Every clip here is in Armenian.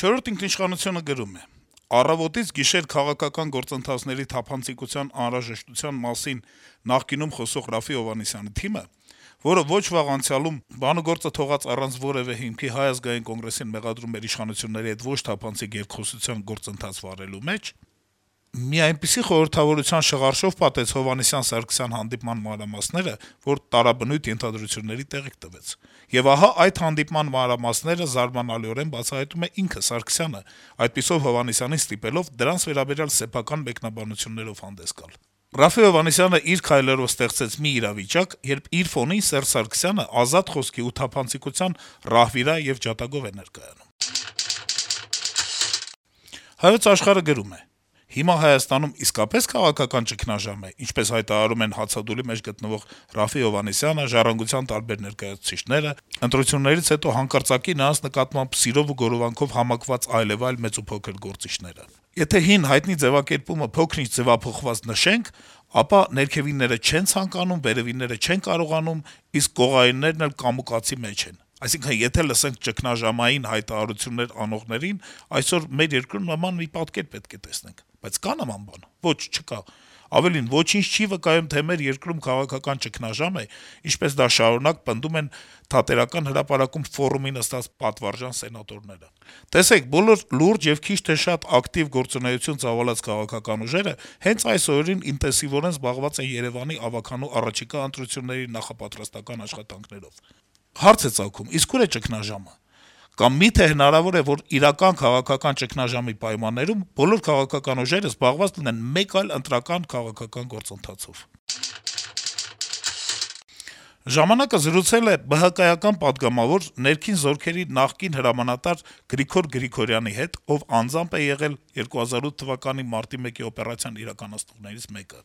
Չորրորդ ինքնիշխանությունը գրում է. - «Առավոտից գիշեր քաղաքական գործընթացների թափանցիկության անհրաժեշտության մասին նախկինում խոսող Րաֆֆի Հովհաննիսյանի թիմը, որը ոչ վաղ անցյալում բանուգործը թողած առանց որեւէ հիմքի Հայ ազգային կոնգրեսին մեղադրում էր իշխանությունների հետ ոչ թափանցիկ երկխոսության գործընթաց վարելու մեջ, մի այնպիսի խորհրդավորության շղարշով պատեց Հովհաննիսյան-Սարգսյան հանդիպման մանրամասները, որ տարաբնույթ ենթադրությունների տեղիք տվեց: Եվ ահա այդ հանդիպման մանրամասները զարմանալիորեն բացահայտում է ինքը Սարգսյանը, այդպիսով Հովհաննիսյանին ստիպելով դրանց վերաբերյալ սեփական մեկնաբանություններով հանդես գալ: Րաֆֆի Հովհաննիսյանը իր քայլերով ստեղծեց մի իրավիճակ, երբ իր ֆոնին Սերժ Սարգսյանը ազատ խոսքի ու թափանցիկության ռահվիրա եւ ջատագով է ներկայանում»: «Հայոց Աշխարհ»-ը գրում է. - «Հիմա Հայաստանում իսկապես քաղաքական ճգնաժամ է, ինչպես հայտարարում են հացադուլի մեջ գտնվող Րաֆֆի Հովհաննիսյանը, «Ժառանգության» տարբեր ներկայացուցիչները, ընտրություններից հետո հանկարծակի նրանց նկատմամբ սիրով ու գորովանքով համակված այլեւայլ մեծ ու փոքր գործիչները: Եթե հին հայտնի ձեւակերպումը փոքր-ինչ ձեւափոխված նշենք, ապա ներքևինները չեն ցանկանում, վերեւինները չեն կարողանում, իսկ կողայիններն էլ կամուկածի մեջ են: Այսինքն` եթե լսենք ճգնաժամային հայտարարություններ անողներին, այսօր մեր երկրում նման մի պատկեր պետք է տեսնենք: Բայց կա՞ նման բան: Ոչ, չկա: Ավելին, ոչինչ չի վկայում, թե մեր երկրում քաղաքական ճգնաժամ է, ինչպես դա շարունակ պնդում են Թատերական հրապարակում ֆորումի նստած պատվարժան սենատորները: Տեսեք, բոլոր լուրջ եւ քիչ թե շատ ակտիվ գործունեություն ծավալած քաղաքական ուժերը հենց այս օրերին ինտենսիվորեն զբաղված են Երեւանի ավագանու առաջիկա ընտրությունների նախապատրաստական աշխատանքներով: Հարց է ծագում. իսկ ու՞ր է ճգնաժամը: Կամ մի՞թե հնարավոր է, որ իրական քաղաքական ճգնաժամի պայմաններում բոլոր քաղաքական ուժերը զբաղված լինեն մեկ այլ ընտրական քաղաքական գործընթացով»: «Ժամանակ»-ը զրուցել է ԲՀԿ-ական պատգամավոր, ներքին զորքերի նախկին հրամանատար Գրիգոր Գրիգորյանի հետ, ով անձամբ է եղել 2008 թվականի մարտի 1-ի օպերացիան իրականացնողներից մեկը: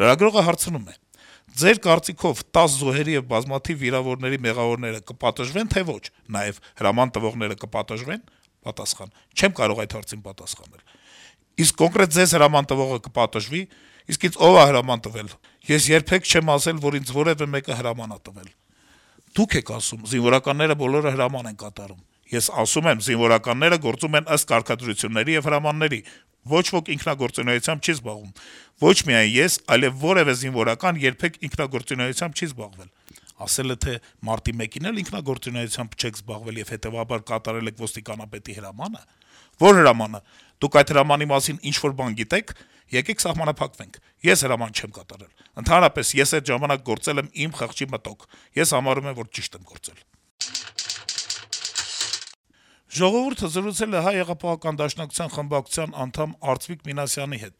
Լրագրողը հարցնում է. - «Ձեր կարծիքով 10 զոհերի եւ բազմաթիվ վիրավորների մեղավորները կպատժվեն, թե ոչ: Նաեւ հրաման տվողները կպատժվե՞ն»: Պատասխան. - «Չեմ կարող այդ հարցին պատասխանել»: «Իսկ կոնկրետ ձեզ հրաման տվողը կպատժվի՞: Իսկ ինձ ով ա հրաման տվել: Ես երբեք չեմ ասել, որ ինձ որեւէ մեկը հրաման ա տվել»: «Դուք եք ասում, զինվորականները բոլորը հրաման են կատարում»: «Ես ասում եմ, զինվորականները գործում են ըստ կարգադրությունների եւ հրամանների: Ոչ ոք ինքնագործունեությամբ չի զբաղվում: Ոչ միայն ես, այլեւ որեւէ զինվորական երբեք ինքնագործունեությամբ չի զբաղվել»: «Ասել է, թե մարտի 1-ին էլ ինքնագործունեությամբ չեք զբաղվել եւ հետեւաբար կատարել եք ոստիկանապետի հրամա՞նը»: «Ո՞ր հրամանը: Դուք այդ հրամանի մասին ինչ-որ բան գիտե՞ք: Եկեք սահմանափակվենք: Ես հրաման չեմ կատարել: Ընդհանրապես, ես այդ ժամանակ գործել եմ իմ խղճի մտօգ: Ես համարում եմ, որ ճիշտ եմ գործել»: «Ժողովուրդ»-ը զրուցել է ՀՀԿ խմբակցության անդամ Արծվիկ Մինասյանի հետ: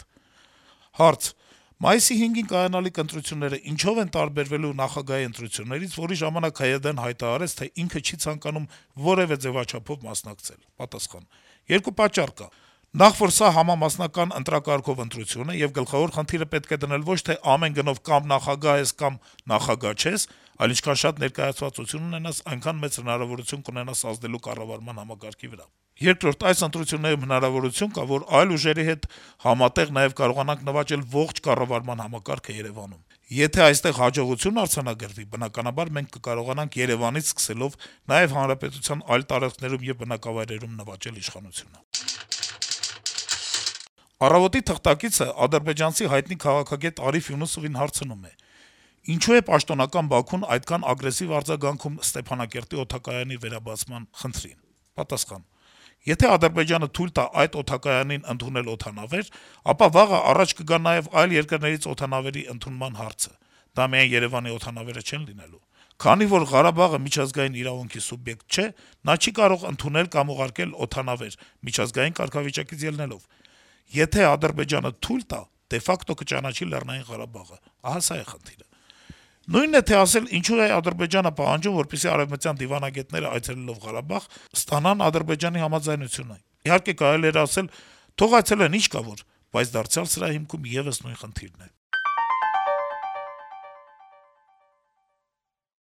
Հարց. - «Մայիսի 5-ին կայանալիք ընտրությունները ինչո՞վ են տարբերվելու նախագահի ընտրություններից, որի ժամանակ ՀՅԴ-ն հայտարարեց, թե ինքը չի ցանկանում որեւէ ձեւաչափով մասնակցել»: Պատասխան. - «Երկու պատճառ կա: Նախ, որ սա համամասնական ընտրակարգով ընտրություն է, եւ գլխավոր խնդիրը պետք է դնել ոչ թե ամեն գնով կամ նախագահ ես, կամ նախագահ չես, այլ ինչքան շատ ներկայացվածություն ունենաս, այնքան մեծ հնարավորություն կունենաս ազդելու կառավարման համակարգի վրա: Երկրորդ, այս ընտրություններում հնարավորություն կա, որ այլ ուժերի հետ համատեղ նաեւ կարողանանք նվաճել ողջ կառավարման համակարգը Երեւանում: Եթե այստեղ հաջողություն արձանագրվի, բնականաբար մենք կկարողանանք Երեւանից սկսելով նաեւ հանրապետության այլ տարածքներում եւ բնակավայրերում նվաճել իշխանությունը»: «Առավոտ»-ի թղթակիցը ադրբեջանցի հայտնի քաղաքագետ Արիֆ Յունուսովին հարցնում է. - «Ինչու է պաշտոնական Բաքուն այդքան ագրեսիվ արձագանքում Ստեփանակերտի օդակայանի վերաբացման խնդրին»: Պատասխան. - «Եթե Ադրբեջանը թույլ տա այդ օդակայանին ընդունել օդանավեր, ապա վաղը առաջ կգա նաեւ այլ երկրներից օդանավերի ընդունման հարցը: Դա միայն Երեւանի օդանավերը չեն լինելու: Քանի որ Ղարաբաղը միջազգային իրավունքի սուբյեկտ չէ, նա չի կարող ընդունել կամ ուղարկել օդանավեր` միջազգային կարգավիճակից ելնելով: Եթե Ադրբեջանը թույլ տա, դե ֆակտո կճանաչի Լեռնային Ղարաբաղը: Ահա սա է խնդիրը: Նույնն է թե ասել, ինչու է Ադրբեջանը պահանջում, որպեսզի արեւմտյան դիվանագետները այցելելով Ղարաբաղ, ստանան Ադրբեջանի համաձայնությունը: Իհարկե կարելի էր ասել` թող այցելեն, ինչ կա որ, բայց դարձյալ սրա հիմքում եւս նույն խնդիրն է»: